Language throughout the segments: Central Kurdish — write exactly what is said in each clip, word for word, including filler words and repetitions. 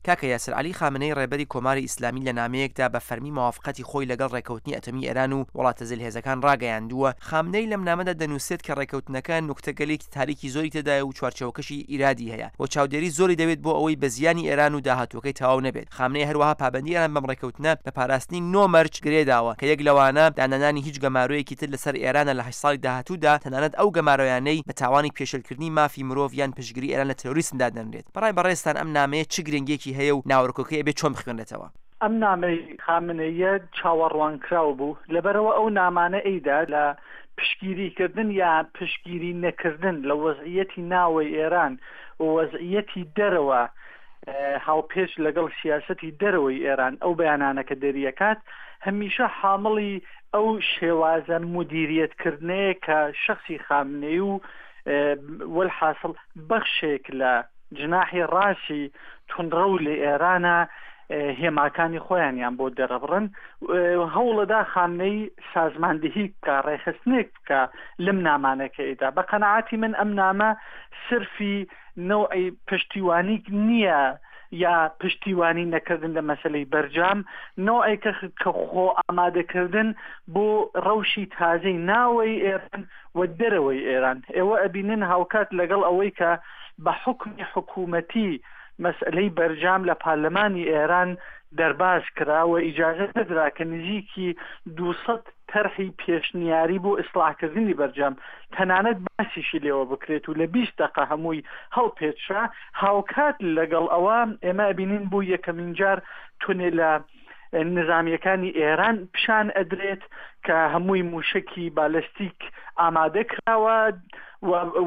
کاکە یاسر، عەلی خامنەیی ڕێبەری کۆماری ئیسلامی لە نامەیەکدا بە فەرمی مەوافقەتی خۆی لەگەڵ ڕێکەوتنی ئەتۆمی ئێران و وڵاتە زلهێزەکان ڕاگەیاندووە. خامنەیی لەم نامەدا دەنووسێت کە ڕێکەوتنەکە نوکتەگەلێکی تاریکی زۆری تێدایە و چوارچێوەکەشی ئیرادی هەیە و چاودێری زۆری دەوێت بۆ ئەوەی بە زیانی ئێران و داهاتووەکەی تەواو نەبێت. خامنەیی هەروەها پابەندی ئێران بەم ڕێکەوتنە بە پاراستنی نۆ مەرج گرێ داوە کە یەک لەوانە دانەنانی هیچ گەمارۆیەکی تر لەسەر ئێرانە لە هەشت ساڵی داهاتوودا، تەنانەت ئەو گەمارۆیانەی بە تاوانی پێشێلکردنی مافی مرۆڤ یان پشتگری ئێران لە ترۆریسم دادەنرێت. بەڕای بەڕێزتان ئەم نامەیە چ گرنگیەکی هەیە و ناوەرۆکەکەی ئەبێ چۆن بخوێنرێتەوە؟ ئەم نامەی خامنەییە چاوەڕوانکراو بوو، لەبەرئەوە ئەو نامانە ئەیدا لە پشتگیریکردن یا پشتگیری نەکردن لە وەزعیەتی ناوەی ئێران و وەزعیەتی دەرەوە هاوپێچ لەگەڵ سیاسەتی دەرەوەی ئێران ئەو بەیانانە کە دەریەکات هەمیشە حامڵی ئەو شێوازە مودیریەت کردنەیە کە شەخسی خامنەیی و وەلحاسڵ بەخشێک لە جناحی ڕاستی توندڕەو لە ئێرانە هێماکانی خۆیانیان بۆ دەرەبڕن. هەوڵەدا خامنەیی سازماندهی بکا، ڕێکخستنێک بکا لەم نامانەکەیدا. بە قەناعەتی من ئەم نامە سرفی نەوعی پشتیوانیک نییە یا پشتیوانی نەکردن لە مەسەلەی بەرجام، نەوعێکە کە خۆ ئامادەکردن بۆ ڕەوشی تازەی ناوەی ئێران و دەرەوەی ئێران. ئێوە ئەبینن هاوکات لەگەڵ ئەوەی کە بە حوکمی حکوومەتی مەسئلەی بەرجام لە پارلەمانی ئێران دەرباز کرا و ئیجازە نەدرا کە نزیکی دوو سەد تەرحی پێشنیاری بۆ ئیسڵاحکردنی بەرجام تەنانەت باسیشی لێوە بکرێت و لە بیست دەقە هەمووی هەڵپێچرا. هاوکات لەگەڵ ئەوە ئێمە ئەبینین بۆ یەکەمین جار تونێلە نزامیەکانی ئێران پیشان ئەدرێت کە هەمووی موشەکی بالستیک ئامادە کراوە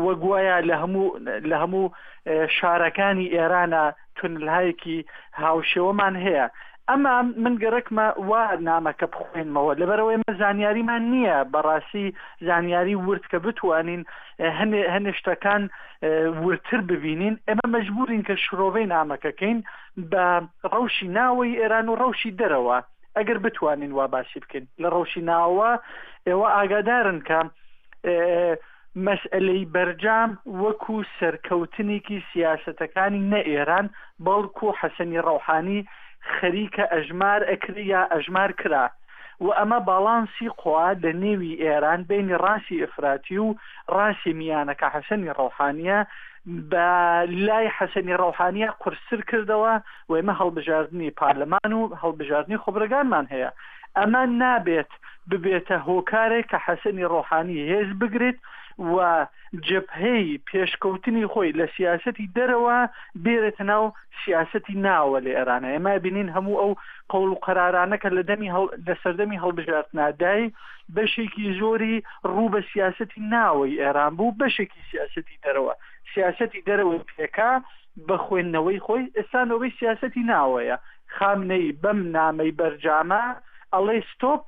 و گوایە لە هەموو لە هەموو شارەکانی ئێرانە تونلهایەکی هاوشێوەمان هەیە. ئەما من گەرەکمە وا نامەکە بخوێنمەوە، لەبەرئەوەی ئێمە زانیاریمان نییە، بەڕاستی زانیاری ورد کە بتوانین هەنێ هەنێ شتەکان وردتر ببینین، ئێمە مەجبورین کە شرۆڤەی نامەکەکەین بە ڕەوشی ناوەی ئێران و ڕەوشی دەرەوە، ئەگەر بتوانین وا باسی بکەین. لە ڕەوشی ناوە ئێوە ئاگادارن کە مەسئەلەی بەرجام وەکو سەرکەوتنێکی سیاسەتەکانی نە ئێران بەڵکو حەسەنی ڕەوحانی خەریکە ئەژمار ئەکرێ یا ئەژمار کرا و ئەمە باڵانسی قوا لە نێوی ئێران بەینی ڕاستی ئیفراتی و ڕاستی میانە کە حەسەنی ڕەوحانیە بە لای حەسەنی ڕەوحانیە قورستر کردەوە و ئێمە هەڵبژاردنی پارلەمان و هەڵبژاردنی خوبرەگانمان هەیە ئەمە نابێت ببێتە هۆکارێک کە حەسەنی ڕۆحانی هێز بگرێت و جەبهەی پێشکەوتنی خۆی لە سیاسەتی دەرەوە بێرێتە ناو سیاسەتی ناوە لە ئێرانە. ئێمە ئەبینین هەموو ئەو قەوڵ و قەرارانە کە لە دەمی لە سەردەمی هەڵبژاردنا دای بەشێکی زۆری ڕوو بە سیاسەتی ناوەی ئێران بوو، بەشێکی سیاسەتی دەرەوە. سیاسەتی دەرەوەی پێکا بە خوێندنەوەی خۆی، ئێستا نۆبەی سیاسەتی ناوەیە. خامنەیی بەم نامەی بەرجامە ئەڵێ ستۆپ،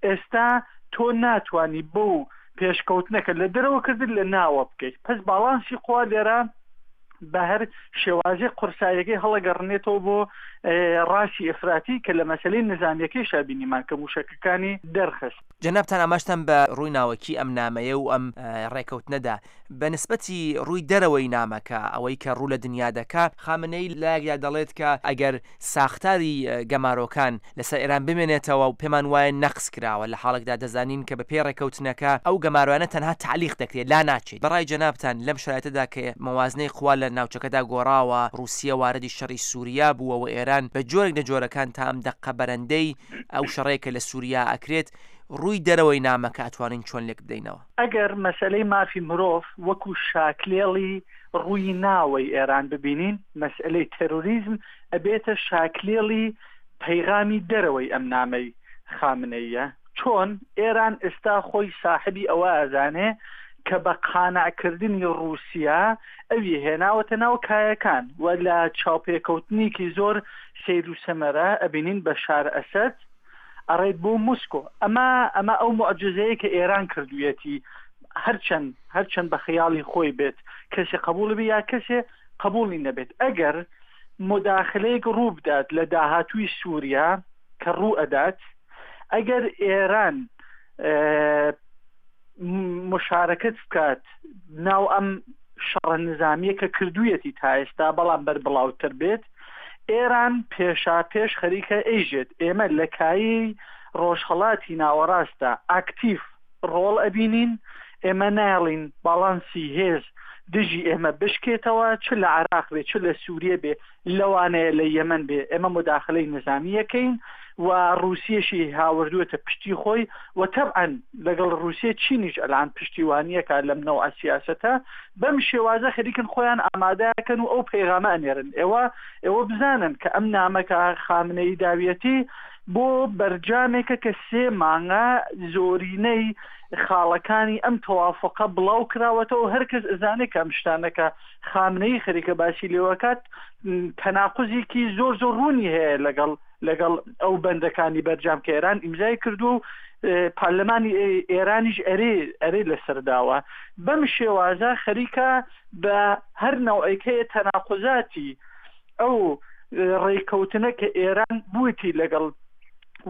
ئێستا تۆ ناتوانی بەو پێشکەوتنە کە لە دەرەوە کردت لە ناوە بکەیت. پس باڵانسی قوا لێرە بە هەر شێوازێک قورساییەکەی هەڵەگەڕنێتەوە بۆ ڕاستی ئیفراتی کە لە مەسەلەی نزامیەکەیشا بینیمان کە موشەکەکانی دەرخست. جەنابتان ئاماژتان بە ڕووی ناوەکی ئەم نامەیە و ئەم ڕێکەوتنە دا. بە نسبەتی ڕووی دەرەوەی نامەکە، ئەوەی کە ڕوو لە دنیا دەکا، خامنەیی لایەکدا دەڵێت کە ئەگەر ساختاری گەمارۆکان لەسەر ئێران بمێنێتەوە و پێمان وایە نەقس کراوە، لە حاڵێکدا دەزانین کە بە پێی ڕێکەوتنەکە ئەو گەمارۆیانە تەنها تەعلیق دەکرێت، لا ناچێت. بە ڕای جەنابتان لەم شەرایتەدا کە مەوازنەی قوا لە ناوچەکەدا گۆڕاوە، ڕووسیە واردی شەڕی سووریا بووە و ئێران بە جۆرێک لە جۆرەکان تا ئەم دەققە بەرەندەی ئەو شەڕەیە کە لە سووریا ئەکرێت، ڕووی دەرەوەی نامەکە ئەتوانین چۆن لێک بدەینەوە؟ ئەگەر مەسەلەی مافی مرۆڤ وەکوو شاکلێڵی ڕووی ناوەی ئێران ببینین، مەسئەلەی تێرۆریزم ئەبێتە شاکلێڵی پەیغامی دەرەوەی ئەم نامەی خامنەییە. چۆن ئێران ئێستا خۆی ساحبی ئەوە ئەزانێ کە بە قانع کردنی ڕووسیا ئەوی هێناوەتە ناو کایەکان و لە چاوپێکەوتنێکی زۆر سەیر و سەمەرە ئەبینین بەشار ئەسەد ئەڕێت بۆ موسکۆ. ئەمە ئەمە ئەو موعجیزەیە کە ئێران کردوویەتی، هەرچەند هەرچەند بە خەیاڵی خۆی بێت کەسێ قەبووڵی بێ یا کەسێ قەبووڵی نەبێت، ئەگەر موداخلەیەک ڕوو بدات لە داهاتووی سووریا کە ڕوو ئەدات، ئەگەر ئێران مشارەکەت بکات ناو ئەم شەڕە نزامیە کە کردوویەتی تا ئێستا بەڵام بەربڵاوتر بێت، ئێران پێشاپێش خەریکە ئەیژێت ئێمە لە کایەی ڕۆژهەڵاتی ناوەڕاستدا ئاکتیڤ ڕۆڵ ئەبینین، ئێمە نایەڵین باڵانسی هێز دژی ئێمە بشکێتەوە، چ لە عێراق بێ چ لە سووریە بێ لەوانەیە لە یەمەن بێ ئێمە موداخلەی نزامی ئەکەین و ڕووسیەشی هاوردووەتە پشتی خۆی و تەبعەن لەگەڵ ڕووسیە چینیش ئەلان پشتیوانیەکا لەم نەوعە سیاسەتە بەم شێوازە خەریکن خۆیان ئامادەکەن و ئەو پەیغامە ئەنێرن ئێوە ئێوە بزانن کە ئەم نامە کە خامنەیی داویەتی بۆ بەرجامێکە کە سێ مانگە زۆرینەی خاڵەکانی ئەم تەوافوقە بڵاو کراوەتەوە هەر کەس ئەزانێ کە ئەم شتانە کە خامنەیی خەریکە باسی لێوەکات تەناقوزێکی زۆر زۆر ڕوونی هەیە لەگەڵ لەگەڵ ئەو بەندەکانی بەرجام کە ئێران ئیمزای کردووە و پەرلەمانی ئێرانیش ئەرێ ئەرێ لەسەر داوە بەم شێوازە خەریکە بە هەر نەوعێک هەیە تەناقوزاتی ئەو ڕێکەوتنە کە ئێران بوویتی لەگەڵ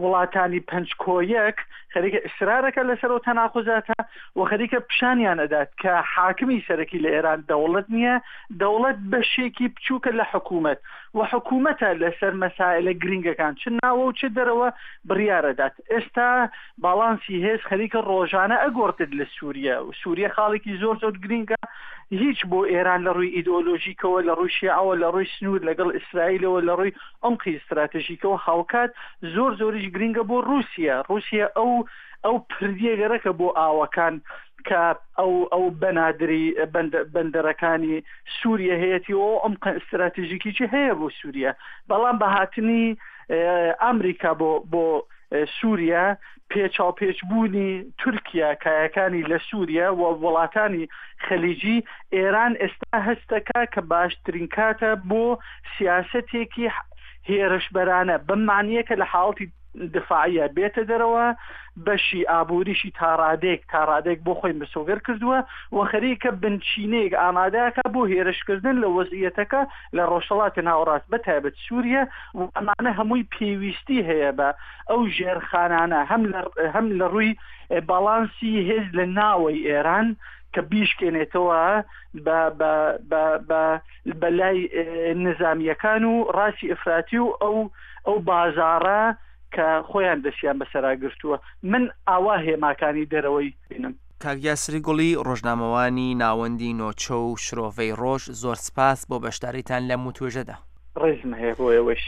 وڵاتانی پەنج کۆ یەک خەریکە ئیسرارەکە لەسەر ئەو تەناقوزاتە و خەریکە پیشانیان ئەدات کە حاکمی سەرەکی لە ئێران دەوڵەت نییە، دەوڵەت بەشێکی بچووکە لە حکوومەت و حکوومەتە لەسەر مەسائلە گرینگەکان چ ناوە و چ دەرەوە بڕیار ئەدات. ئێستا باڵانسی هێز خەریکە ڕۆژانە ئەگۆڕدرێت لە سووریە و سووریە خاڵێکی زۆر زۆر گرینگە هیچ بۆ ئێران لە ڕووی ئیدئۆلۆژیکەوە، لە ڕووی شیعەوە، لە ڕووی سنوور لەگەڵ ئیسرائیلەوە، لە ڕووی عومقی ستراتژیکەوە هاوکات زۆر زۆریش گرینگە بۆ ڕووسیە. ڕووسیە ئەو ئەو پردیە گەرەکە بۆ ئاوەکان کە ئەو ئەو بەنادری بەندەرەکانی سووریە هەیەتی و ئەو عومقە ستراتژیکیی هەیە بۆ سووریە. بەڵام بە هاتنی ئامریکا بۆ بۆ سووریا، پێچاوپێچبوونی تورکیا، کایەکانی لە سووریا و وڵاتانی خەلیجی، ئێران ئێستا هەستەکا کە باشترین کاتە بۆ سیاسەتێکی هێرشبەرانە، بەم مەعنییە کە لە حاڵەتی دفاعیە بێتە دەرەوە، بەشی ئابووریشی تاڕادەیەک تاڕادەیەک بۆ خۆی مسۆگەر کردووە و خەریکە بنچینەیەک ئامادەکا بۆ هێرشکردن لە وەزعیەتەکە لە ڕۆژهەڵاتی ناوەڕاست بە تایبەت سووریە و ئەمانە هەمووی پێویستی هەیە بە ئەو ژێرخانانە هەم لە هەم لە ڕووی باڵانسی هێز لە ناوەی ئێران کە بیشکێنێتەوە بە بە بە بە بە لای نزامییەکان و ڕاستی ئیفراتی و ئەو ئەو بازاڕە کە خۆیان دەستیان بەسەرا گرتووە من ئاوا هێماکانی دەرەوەی بینم. کاک یاسری گوڵی ڕۆژنامەوانی ناوەندی نۆچە و شرۆڤەی ڕۆژ زۆر سپاس بۆ بەشداریتان لەم وتوێژەدا. ڕێزم هەیە بۆ ئێوەش.